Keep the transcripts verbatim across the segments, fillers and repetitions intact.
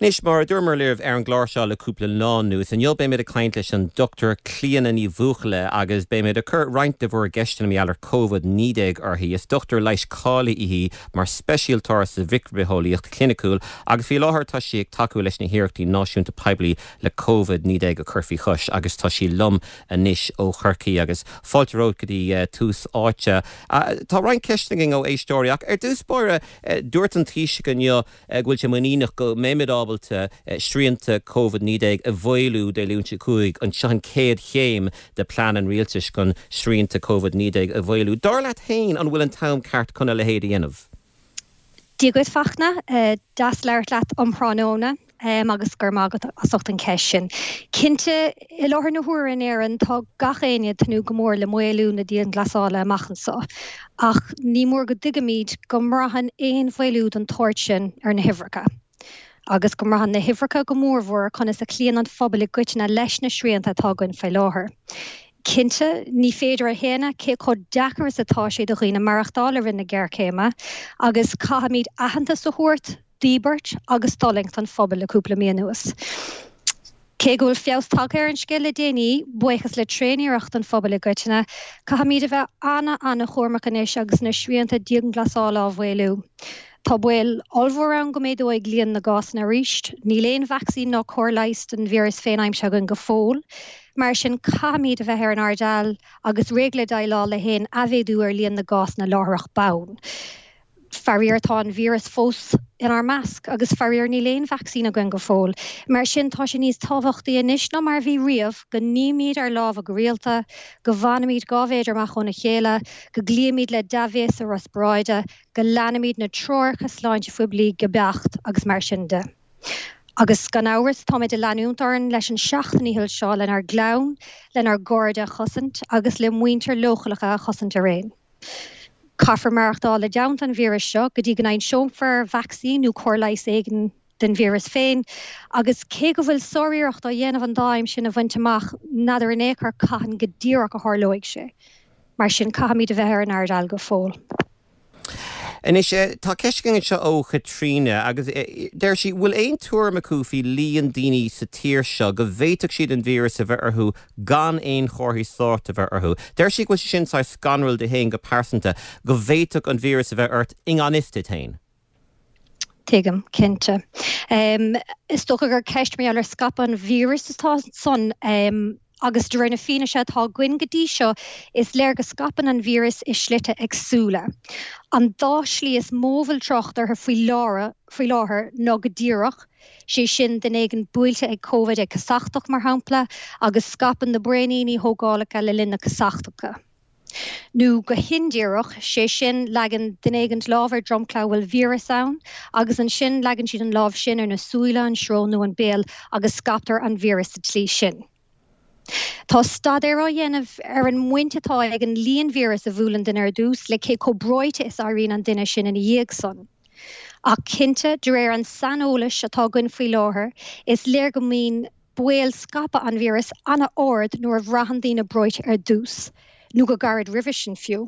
Anois mar a dúramar libh ar an gclár seo le cúpla lá anuas, inniu beimid ag caint leis an Dr Clíona Ní Bhuachalla agus beimid ag cur roinnt de bhur gceisteanna mar gheall ar Covid naoi déag uirthi. Is dochtúir leighis cáilithe í mar speisialtóir sa mhicribhitheolaíocht chliniciúil agus faoi láthair tá sí ag tacú leis na hiarrachtaí náisiúnta poiblí le Covid naoi déag a chur faoi chois agus tá sí liom anois ó Chorcaigh agus fáilte romhat go dtí uh, Tús Áite. Uh, tá roinnt ceisteanna againn ó éisteoirí ach ar dtús báire uh, dúirt an Taoiseach inniu uh, go bhfuil sé muiníneach go mbeimid ábalta eh, srianta Covid naoi déag a mhaolú Dé Luain seo chugainn an seo an chéad chéim de plean an rialtais chun srianta Covid naoi déag a mhaolú. Dar leat féin an bhfuil an t-am ceart chun a leithéid a dhéanamh. Dia duit Fachtna eh, deas labhairt leat um thráthnóna um, agus go raibh maith agat as ucht an cheist sin. Cinnte i láthair na huaire in Éirinn tá gach éinne ag tnúth go mór le maolú na dianghlasála amach anseo. Ach ní mór go dtuigfimid go mbraitheann aon mhaolú den tsórt sin ar na huimhreacha. Agus go mbraitheann na huimhreacha go mórmhór conas a chloíonn an pobal i gcoitinne leis na srianta atá againn faoi láthair. Cinnte ní féidir a shéanadh cé chomh deacair is atá sé do dhaoine maireachtáil i rith na géarchéime, agus caithfimid aitheantas a thabhairt d'íobairt agus d'fhulaingt an phobail le cúpla mí anuas. Cé go bhfuil feabhas tagtha ar an scéal le déanaí, buíochas le tréaniarracht an phobail i gcoitinne, caithfimid a bheith an-an-chúramach anois agus na srianta dianghlasála á mhaolú. Tá baol ollmhór ann go méadóidh líon na gcásanna arís, níl aon vacsaín ná cóir leighis don víreas féin aimsithe againn go fóill, mar sin caithfimid a bheith ar an airdeall agus réidh le déileáil le haon athmhéadú ar líon na gcásanna láithreach bonn. Faraor tá an víreas fós inár measc agus faraor níl aon vacsaín againn go fóill. Mar sin tá sé níos tábhachtaí anois ná mar a bhí riamh go nímid ár lámha go rialta, go bhfanaimid dhá mhéadar amach óna chéile, go gcloímid le dea-bhéasa riospráide, go leanaimid na treoracha sláinte phoiblí go beacht agus mar sin de. Agus gan amhras táimid ag leanúint orainn leis an seacht ndícheall seo lenár gclann, lenár gcairde a chosaint agus le muintir leochaileacha a chosaint araon. Caithfear maireachtáil i dteannta an víris seo go dtí go n-aimseofar vacsaín nó cóir leighis éigin den víreas féin, agus cé go bhfuil sáriarracht á dhéanamh an dáim sin a bhaint amach n'fheadar in aon chor cathain go díreach a tharlóidh sé. Mar sin caithfimid a bheith ar an airdeall go fóill. Anois tá ceist againn anseo ó Chaitríona agus deir sí bhfuil aon tuairim acu faoi líon daoine sa tír seo go bhféadfadh siad an víreas a bheith orthu gan aon chomharthaí sóirt a bheith orthu. Deir sí go bhfuil sin saghas scanrúil di féin go pearsanta go bhféadfadh an víreas a bheith ort i ngan fhios duit féin. Tuigim cinnte. Um, is dócha gur ceist mar ar scaipeadh an víreas atá ansan um, agus de réir na fianaise atá againn go dtí seo is léir go scaipeann an víreas i slite éagsúla. An dá shlí is mó a bhfuil trácht orthu faoi láthair faoi láthair ná go díreach, sé sin duine éigin buailte ag COVID ag casachtach mar shampla, agus scaipeann na braoiníní thógálacha le linn na casachtacha. Nó go hindíreach, sé sin leagann duine éigin lámh ar dromchla a bhfuil víreas ann, agus ansin leagann siad an lámh sin ar na súile an srón nó an béal agus scaiptear an víreas sa tslí sin. Tá staidéar á dhéanamh ar an mbaint atá ag an líon víreas a bhuaileann duine ar dtús le cé chomh breoite is éiríonn an duine sin ina dhiaidh san. Ach cinnte de réir an saineolais atá againn faoi láthair, is léir go mbíonn baol scaipeadh an víreas an-ard nuair a bhraitheann daoine breoite ar dtús, nó go gairid roimhe sin fiú.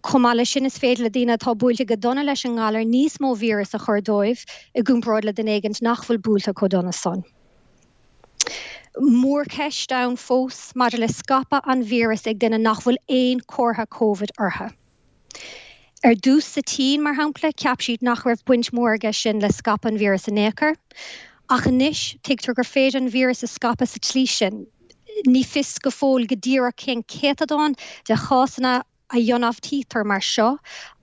Chomh maith leis sin is féidir le daoine atá buailte go dona leis an ngalar níos mó víreas a chur dóibh i gcomparáid le duine éigin nach bhfuil buailte chomh dona san. Mórcheist ann fós maidir le scaipeadh an víreas ag duine nach bhfuil aon chomhartha COVID orthu. Ar dtús sa tSín mar shampla cheap siad nach raibh baint mhór aige sin le scaipeadh an víreas in aon chor, ach anois tuigtear gur féidir an víreas a scaipeadh sa tslí sin. Ní fios go fóill go díreach cén céatadán de chásanna a ionfhabhtaítear mar seo,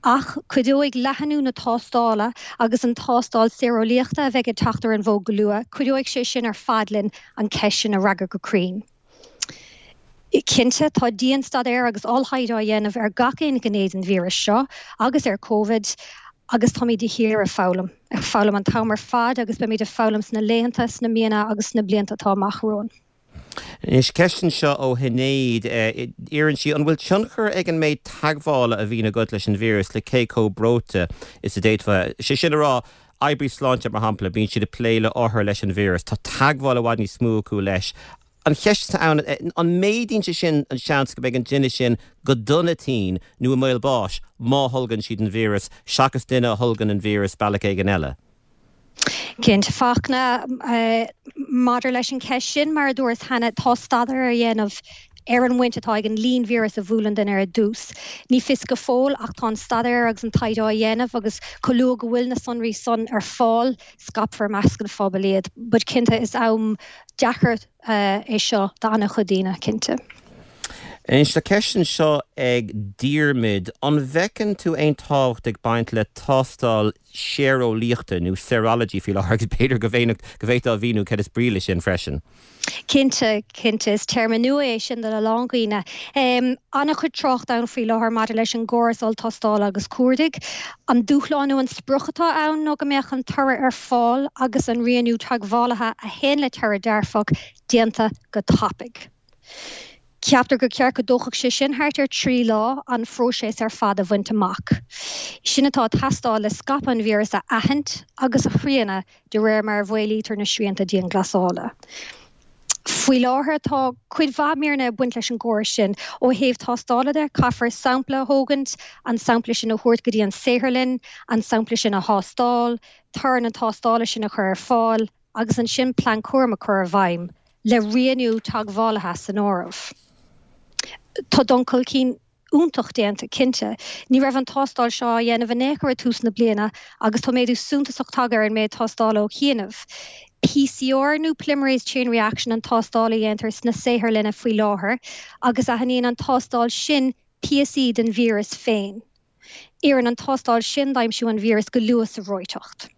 ach cuideoidh leathnú na tástála agus an tástáil séireolaíochta a bheidh ag teacht ar an bhfód go luath, cuideoidh sé sin ar fad linn an cheist sin a fhreagairt go cruinn. Cinnte tá dianstaidéar agus olltaighde á dhéanamh ar gach aon ghné den víreas seo agus ar COVID agus táimid de shíor ag foghlaim, ag foghlaim an t-am ar fad agus beimid ag foghlaim sna laethanta, sna míonna agus sna blianta atá amach romhainn. Anois ceist anseo ó Shinéad iarrann sí an bhfuil tionchar ag an méid teagmhála a bhíonn agat leis an víreas le cé chomh breoite is a d'fhéadfá. Sé sin a rá oibrí sláinte mar shampla bíonn siad ag plé le othair leis an víreas, Tá teagmháil i bhfad níos mó acu leis. An cheist ann an méadaíonn sé sin an seans go mbeidh an duine sin go dona tinn nó i mbaol báis má tholgann siad an víreas seachas duine a tholgann an víreas bealach éigin eile. Cinnte Fachtna, maidir leis an cheist sin, mar a dúras cheana, tá staidéar á dhéanamh ar an bhaint atá ag an líon víreas a bhuaileann duine ar dtús. Ní fios go fóill ach tá an staidéar agus an taighde á dhéanamh agus chomh luath go bhfuil na sonraí san ar fáil, scaipfear i measc an phobail iad. But cinnte is am deacair é seo d'an-chuid daoine, cinnte. Anois tá ceist anseo ag Diarmuid, an bhfeiceann tú aon tábhacht ag baint le tástáil séireolaíochta nó serology faoi láthair agus b'fhéidir go bhféadfá a mhíniú céard is brí leis sin freisin? Cinnte, cinnte, is téarma nua é sin do a lán daoine. An-chuid trácht ann faoi láthair maidir leis an gcóras olltástála agus cuardaigh. An dúshlán nó an sprioc atá ann ná go mbeadh an toradh ar fáil agus an rianú teagmhálaithe a théann le toradh dearfach déanta go tapaidh. Ceaptar gur ceart go dtógfadh sé sin thart ar trí lá an phróiseas ar fad a bhaint amach. Sin atá ag teastáil le scaipeadh an víreas a aithint agus a shrianadh de réir mar a mhaolaítear na srianta dianghlasála. Faoi láthair tá cuid mhaith míreanna ag baint leis an gcóras sin. Ó thaobh tástála de, caithfear sampla a thógaint, an sampla sin a thabhairt go dtí an saotharlann, an sampla sin a thástáil, toradh na tástála sin a chur ar fáil agus ansin plean cúraim a chur i bhfeidhm, le rianú teagmhálaithe san áireamh. Tá dul chun cinn iontach déanta, cinnte. Ní raibh an tástáil seo á dhéanamh in aon chor ag tús na bliana agus tá méadú suntasach tagtha ar an méid tástála ó chianaibh. PCR nó Polymerase Chain Reaction an tástáil a dhéantar sna saotharlanna faoi láthair agus aithníonn an tástáil sin píosaí den víreas féin. Oireann an tástáil sin d'aimsiú an víreas go luath sa bhreoiteacht.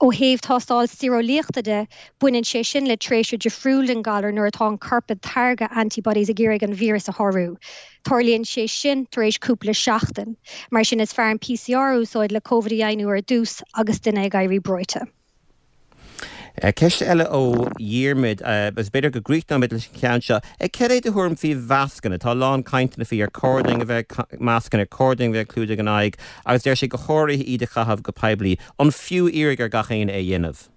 Ó thaobh tástáil séireolaíochta de, baineann sé sin le tréimhse difriúil den ghalar nuair atá an corp ag táirgeadh antibodies ag iarraidh an víreas a shárú. Tarlaíonn sé sin tar éis cúpla seachtain. Mar sin is fearr an PCR a úsáid le Covid a dheimhniú ar dtús agus duine ag éirí breoite. Ceist eile ó Dhiarmuid, agus b'fhéidir go gcríochnóimid leis an cheann seo. Cad é do thuairim faoi mhascanna? Tá a lán cainteanna faoi ar chóir dúinn a bheith ag mascanna, ar chóir dúinn a bheith ag clúdach an aghaidh, agus deir sé go háirithe iad a chaitheamh go poiblí. An fiú iarraidh ar gach éinne é a dhéanamh?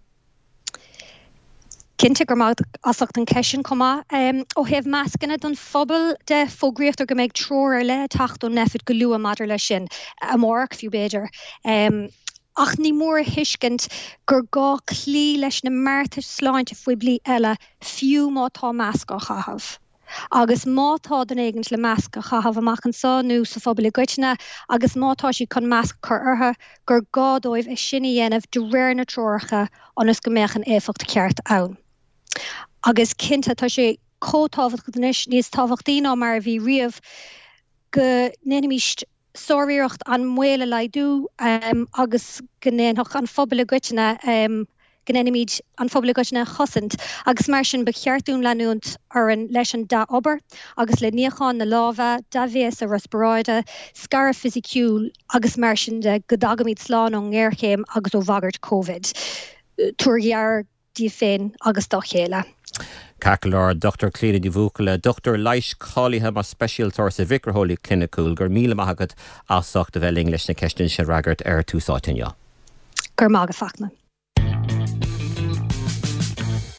Cinnte, go raibh maith agat as ucht an cheist sin chomh maith. Ó thaobh mascanna don phobal de, fógraítear go mbeidh treoir ar leith ag teacht ón Nphet go luath maidir leis sin, amárach fiú b'fhéidir. Ach ní mór a thuiscint gur gá cloí leis na mbeartais sláinte phoiblí eile fiú má tá masc á chaitheamh. Agus má tá duine éigint le masc a chaitheamh amach anseo nó sa phobal i gcoitinne agus má tá siad chun masc a chur orthu, gur gá dóibh é sin a dhéanamh de réir na treoracha ionas go mbeadh an éifeacht cheart ann. Agus cinnte, tá sé chomh tábhachtach anois, níos tábhachtaí ná mar a bhí riamh, go ndéanfaimis sáriarracht an baol a laghdú agus go ndéanfadh an phobal i gcoitinne, go ndéanfaimid an phobal i gcoitinne a chosaint agus mar sin ba cheart dúinn leanúint orainn leis an dea-obair agus le níochán na lámha, dea-bhéasa riospráide, scaradh fisiciúil agus mar sin de go dtagaimid slán ón ngéarchéim agus ó bhagairt Covid. Tabhair aire daoibh féin agus dá chéile. Ceart go leor, Dochtúir Clíona Ní Bhuachalla, dochtúir leighis cáilithe mar speisialtóir sa mhicribhitheolaíocht chliniciúil, go raibh míle maith agat as ucht a bheith linn leis na ceisteanna sin a fhreagairt ar Tús Áite inniu. Go raibh maith agat, Fachtna.